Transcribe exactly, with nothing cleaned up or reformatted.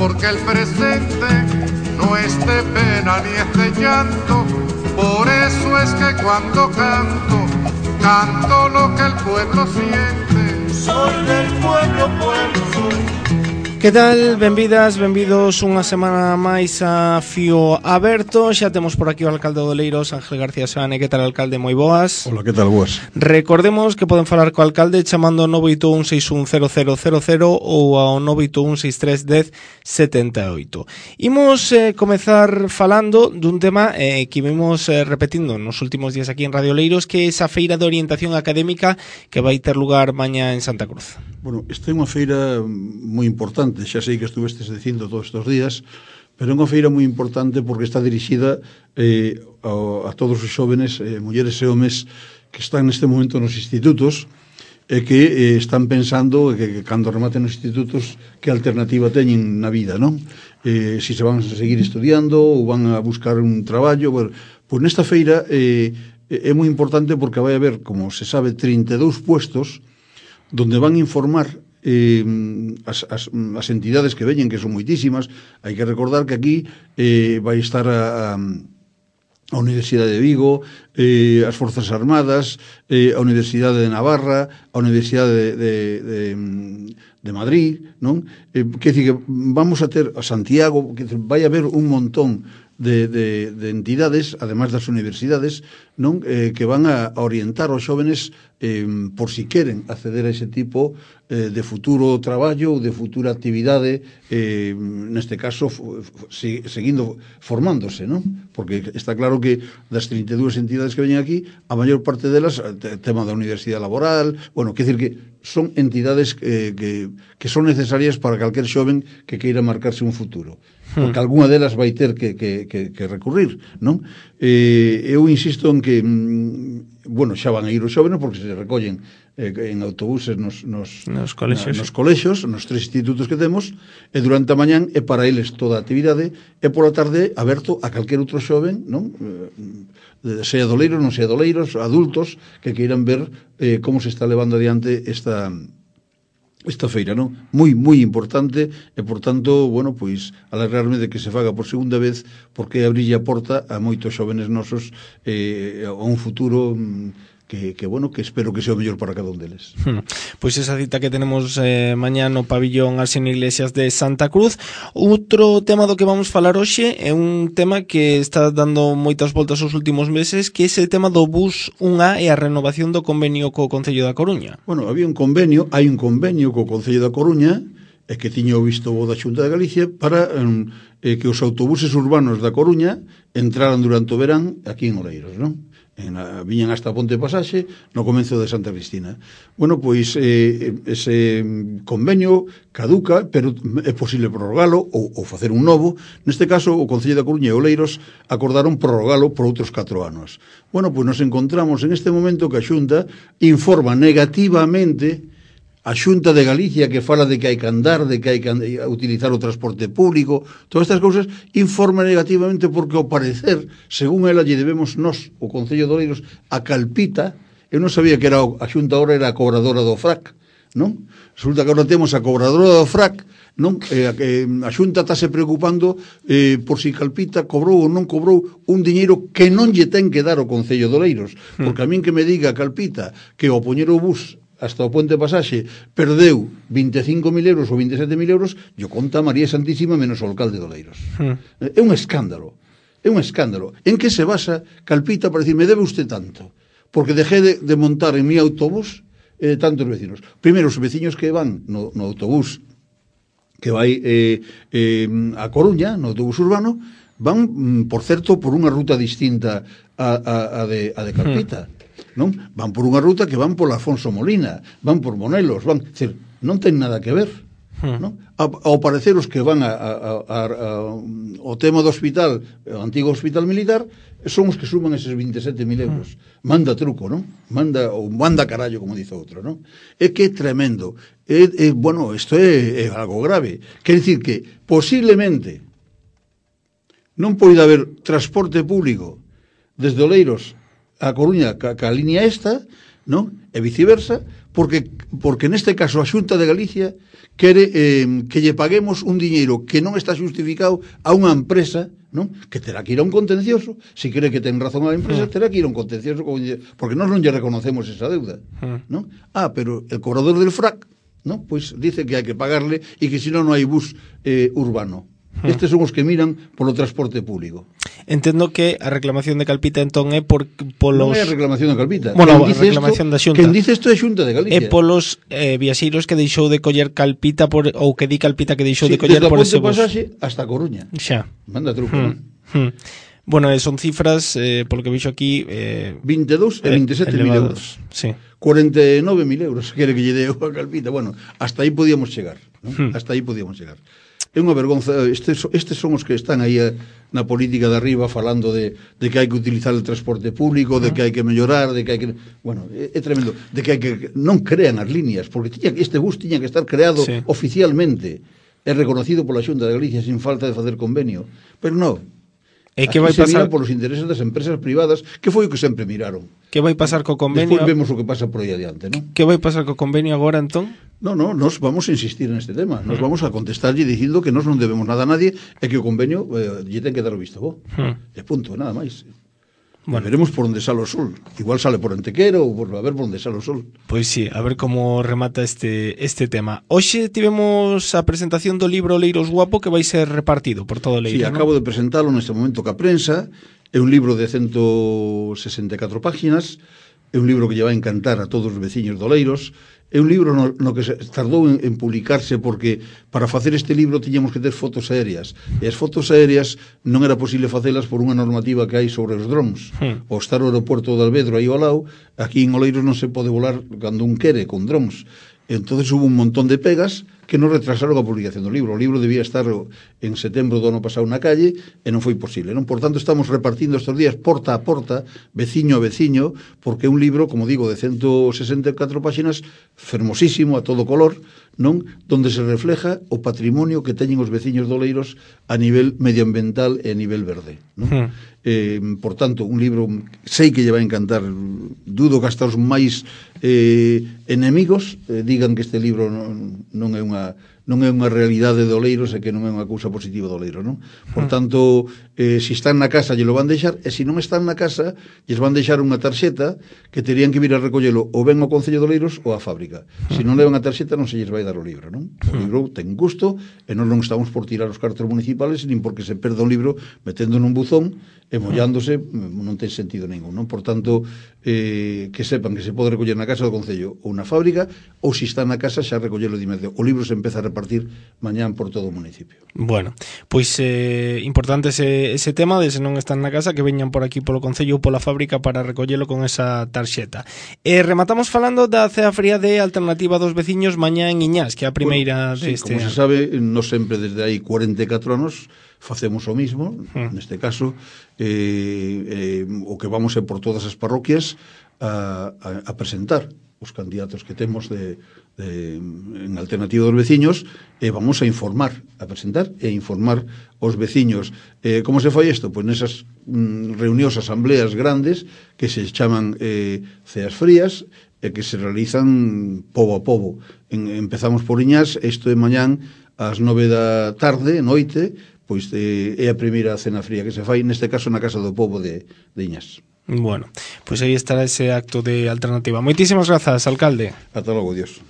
porque el presente no es de pena ni es de llanto. Por eso es que cuando canto, canto lo que el pueblo siente. Soy del pueblo, pueblo soy. Que tal? Benvidas, benvidos unha semana máis a Fío Aberto. Xa temos por aquí o alcalde de Oleiros, Ángel García Seoane. Que tal, alcalde? Moi boas. Hola, que tal, boas. Recordemos que poden falar co alcalde chamando ao nove oito un seis un cero cero cero cero ou ao nove oito un seis tres un cero sete oito. Imos eh, comezar falando dun tema eh, que vimos eh, repetindo nos últimos días aquí en Radio Oleiros, que é esa feira de orientación académica que vai ter lugar mañá en Santa Cruz. Bueno, esta é unha feira moi importante, xa sei que estuvestes dicindo todos estes días, pero é unha feira moi importante porque está dirixida eh, a, a todos os xóvenes, eh, mulleres e homes que están neste momento nos institutos e que eh, están pensando que, que cando rematen os institutos que alternativa teñen na vida, non? Eh, si se van a seguir estudiando ou van a buscar un traballo. Bueno, pois nesta feira eh, é moi importante porque vai haber, como se sabe, trinta e dous puestos donde van informar eh, as, as, as entidades que veñen, que son moitísimas. Hai que recordar que aquí eh, vai estar a, a, a Universidade de Vigo, eh, as Forzas Armadas, eh, a Universidade de Navarra, a Universidade de, de, de, de Madrid, non? Eh, que dicir que vamos a ter a Santiago, que vai haber un montón De, de, de entidades, además das universidades, non eh, que van a, a orientar aos xóvenes eh, por si queren acceder a ese tipo eh, de futuro traballo ou de futura actividade, eh, neste caso f- f- seguindo formándose, non? Porque está claro que das trinta e dúas entidades que veñen aquí, a maior parte delas, tema da universidade laboral, bueno, quer decir que son entidades eh, que, que son necesarias para calquer xoven que queira marcarse un futuro, porque algunha delas vai ter que, que, que, que recurrir, non? Eh, eu insisto en que, mm, bueno, xa van a ir os xóvenes porque se recollen eh, en autobuses nos, nos, nos, colexios. Na, nos colexios, nos tres institutos que temos, e durante a mañán é para eles toda a actividade, e pola tarde aberto a calquer outro xoven, non? Eh, sea doleiros, non sea doleiros, adultos que queiran ver eh, como se está levando adiante esta esta feira, non? Moi, moi importante, e, por tanto, bueno, pois, alegrarme de que se faga por segunda vez, porque abrille a porta a moitos xóvenes nosos eh, a un futuro que, que, bueno, que espero que sea o mellor para cada un deles. Hmm. Pois esa cita que tenemos eh, mañá no pabillón Arseno Iglesias de Santa Cruz. Outro tema do que vamos falar hoxe é un tema que está dando moitas voltas os últimos meses, que é ese tema do bus un A e a renovación do convenio co Concello da Coruña. Bueno, había un convenio, hai un convenio co Concello da Coruña, e que tiña o visto bo da Xunta de Galicia para eh, que os autobuses urbanos da Coruña entraran durante o verán aquí en Oleiros, non? En a, viñan hasta a Ponte Pasaxe no comenzo de Santa Cristina. Bueno, pois eh, ese convenio caduca, pero é posible prorrogalo ou, ou facer un novo. Neste caso, o Concello da Coruña e Oleiros acordaron prorrogalo por outros catro anos. Bueno, pois nos encontramos en este momento que a Xunta informa negativamente a Xunta de Galicia, que fala de que hai que andar, de que hai que utilizar o transporte público, todas estas cousas, informa negativamente porque, ao parecer, según ela, lle debemos nós, o Concello de Oleiros, a Calpita. Eu non sabía que era a Xunta ahora era a cobradora do F R A C, non? Resulta que agora temos a cobradora do F R A C, non? Eh, a Xunta está se preocupando eh, por si Calpita cobrou ou non cobrou un diñeiro que non lle ten que dar o Concello de Oleiros, porque a min que me diga Calpita que ao poñer o bus hasta o Ponte Pasaxe perdeu vinte e cinco mil euros ou vinte e sete mil euros, yo conta María Santísima menos o alcalde de Oleiros. Hmm. É un escándalo, é un escándalo. En que se basa Calpita para decir, me debe usted tanto? Porque dejé de, de montar en mi autobús eh, tantos vecinos. Primeiro, os veciños que van no, no autobús que vai eh, eh, a Coruña, no autobús urbano, van, por certo, por unha ruta distinta a, a, a, de, a de Calpita. Hmm. Non? Van por unha ruta que van por Afonso Molina, van por Monelos, van, decir, non ten nada que ver, hmm. non? Ao parecer os que van a, a, a, a, ao tema do hospital, o antigo hospital militar, son os que suman eses vinte e sete mil euros. Hmm. Manda truco, non? Manda, ou manda carallo, como dice outro, non? É que é tremendo. É, é, bueno, isto é, é algo grave. Quer dicir que, posiblemente, non poida haber transporte público desde Oleiros a Coruña ca, ca línea esta, non? E viceversa, porque porque neste caso a Xunta de Galicia quere eh, que lle paguemos un diñeiro que non está xustificado a unha empresa, non? Que terá que ir a un contencioso, se cree que ten razón a empresa, terá que ir a un contencioso, porque nós non lle reconocemos esa deuda, non? Ah, pero el cobrador del frac, non? Pois dice que hai que pagarle e que senón non hai bus eh, urbano. Estes son os que miran polo transporte público. Entendo que a reclamación de Calpita entón é por polos... Non é a reclamación de Calpita. Bueno, a reclamación esto, da Xunta. Quen dice isto é a Xunta de Galicia. É polos eh, viaxeiros que deixou de coller Calpita por, ou que di Calpita que deixou sí, de coller por ese bus. Pasaxe hasta Coruña. Xa. Manda truco. Hmm. Hmm. Bueno, son cifras, eh, polo que vixo aquí... Eh, vinte e dous e vinte e sete mil euros. Sí. cuarenta e nove mil euros, quere que lle deu a Calpita. Bueno, hasta aí podíamos chegar, ¿no? Hmm. Hasta aí podíamos chegar. É unha vergonza, estes, estes son os que están aí a, na política de arriba falando de, de que hai que utilizar o transporte público, de que hai que mellorar, de que hai que... Bueno, é, é tremendo, de que hai que... Non crean as líneas, porque tiña, este bus tiña que estar creado sí. oficialmente, é reconocido pola Xunta de Galicia sin falta de facer convenio, pero non. E que vai pasar polos intereses das empresas privadas, que foi o que sempre miraron. Que vai pasar co convenio? Despois vemos o que pasa por aí adiante, non? Que vai pasar co convenio agora, entón? No, no, nos vamos a insistir neste tema. Nos vamos a contestarlle dicindo que nos non debemos nada a nadie e que o convenio eh, lle ten que dar o visto bo. Hmm. E punto, nada máis. Bueno. Veremos por onde sale o sol. Igual sale por Antequera ou por a ver por onde sale o sol. Pois sí, a ver como remata este este tema. Hoxe tivemos a presentación do libro Oleiros Guapo que vai ser repartido por todo o Leiro. Sí, acabo ¿no? de presentalo neste momento ca prensa. É un libro de ciento sesenta e catro páxinas. É un libro que lle vai encantar a todos os veciños de Oleiros. É un libro no, no que se tardou en, en publicarse porque para facer este libro tiñamos que ter fotos aéreas e as fotos aéreas non era posible facelas por unha normativa que hai sobre os drones. Hmm. O estar o aeropuerto de Alvedro aí ao lado, aquí en Oleiros non se pode volar cando un quere con drones. Entonces hubo un montón de pegas que non retrasaron a publicación do libro. O libro debía estar en setembro do ano pasado na calle e non foi posible, non? Por tanto, estamos repartindo estes días porta a porta, veciño a veciño, porque é un libro, como digo, de ciento sesenta e catro páxinas, fermosísimo, a todo color, non? Donde se refleja o patrimonio que teñen os veciños de Oleiros a nivel medioambiental e a nivel verde, non? Hmm. Eh, por tanto, un libro sei que lle vai encantar, dudo que hasta os máis eh, enemigos eh, digan que este libro non, non é unha non é unha realidade de Oleiros e que non é unha cousa positiva de Oleiros, non? Por tanto, eh, se están na casa, lle lo van deixar, e se non están na casa, lles van deixar unha tarxeta que terían que vir a recollelo ou ben ao Concello de Oleiros ou á fábrica. Se non levan a tarxeta, non se lles vai dar o libro, non? O libro ten gusto, e non non estamos por tirar os cartos municipales, nin porque se perda un libro metendo nun buzón e mollándose, non ten sentido ningún, non? Por tanto, eh, que sepan que se pode recoller na casa do Concello ou na fábrica, ou se está na casa xa recollelo de inmediato. O libro se empeza a repartir mañán por todo o municipio. Bueno, pois eh, importante ese, ese tema de se non están na casa que veñan por aquí polo Concello ou pola fábrica para recollelo con esa tarxeta. E rematamos falando da cea fría de Alternativa dos Veciños mañá en Iñás, que é a primeira bueno, sí, deste como se sabe, non sempre desde hai cuarenta e catro anos facemos o mismo, hmm. neste caso eh, eh, o que vamos é por todas as parroquias a, a, a presentar os candidatos que temos de, de, en Alternativa dos Veciños e vamos a informar, a presentar e informar os veciños. Eh, como se fai isto? Pois nesas mm, reunións, asambleas grandes que se chaman eh, ceas frías e que se realizan pobo a pobo. En, empezamos por Iñás, isto é mañán ás nove da tarde, noite, pois eh, é a primeira cena fría que se fai, neste caso na Casa do Pobo de, de Iñás. Bueno, pois aí estará ese acto de Alternativa. Moitísimas grazas, alcalde. Ata logo, Dios.